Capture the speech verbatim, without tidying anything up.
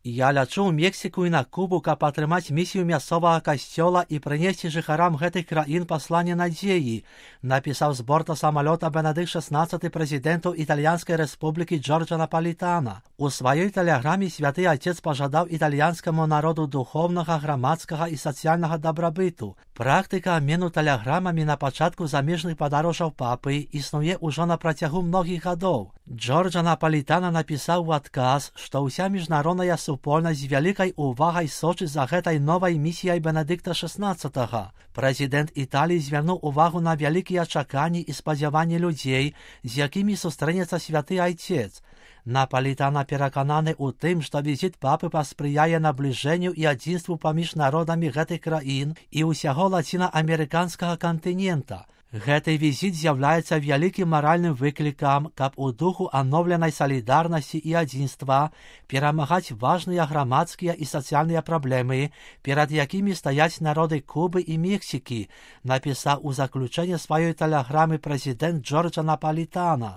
Я лячу ў Мексіку і на Кубу, каб атрымаць місію мясцовага касцёла і прынесці жыхарам гэтых краін пасланне надзеі, напісаў з борта самалёта Бенедыкт шаснаццаты прэзідэнту Італьянскай рэспублікі Джорджа Напалітана. У сваёй тэлеграме святы Отец пажадаў італьянскаму народу духовнага, грамадскага і сацыяльнага дабрабыту. Практыка абмену тэлеграмамі на пачатку замежных падарожжаў папы існуе ўжо на працягу многіх гадоў. Джорджа Напалітана напісаў у адказ, што ўся міжнародная супольнасць з вялікай увагай сочыць за гэтай новай місіяй Бенедыкта шаснаццатага. Прэзідэнт Італіі звярнуў увагу на вялікія чаканні і спадзяванні людзей, з якімі сустрэнецца святы Айцец. Напалітана перакананы ў тым, што візіт папы паспрыяе набліжэнню і адзінству паміж народамі гэтых краін і ўсяго лацінаамерыканскага кантынента. Гэты візіт з'яўляецца вялікім маральным выклікам, каб у духу анноўленай салідарнасці і адзінства перамагаць важныя грамадскія і сацыяльныя праблемы, перад якімі стаяць народы Кубы і Мексікі, напісаў у заключэнні сваёй тэлеграмы прэзідэнт Джорджа Напалітана.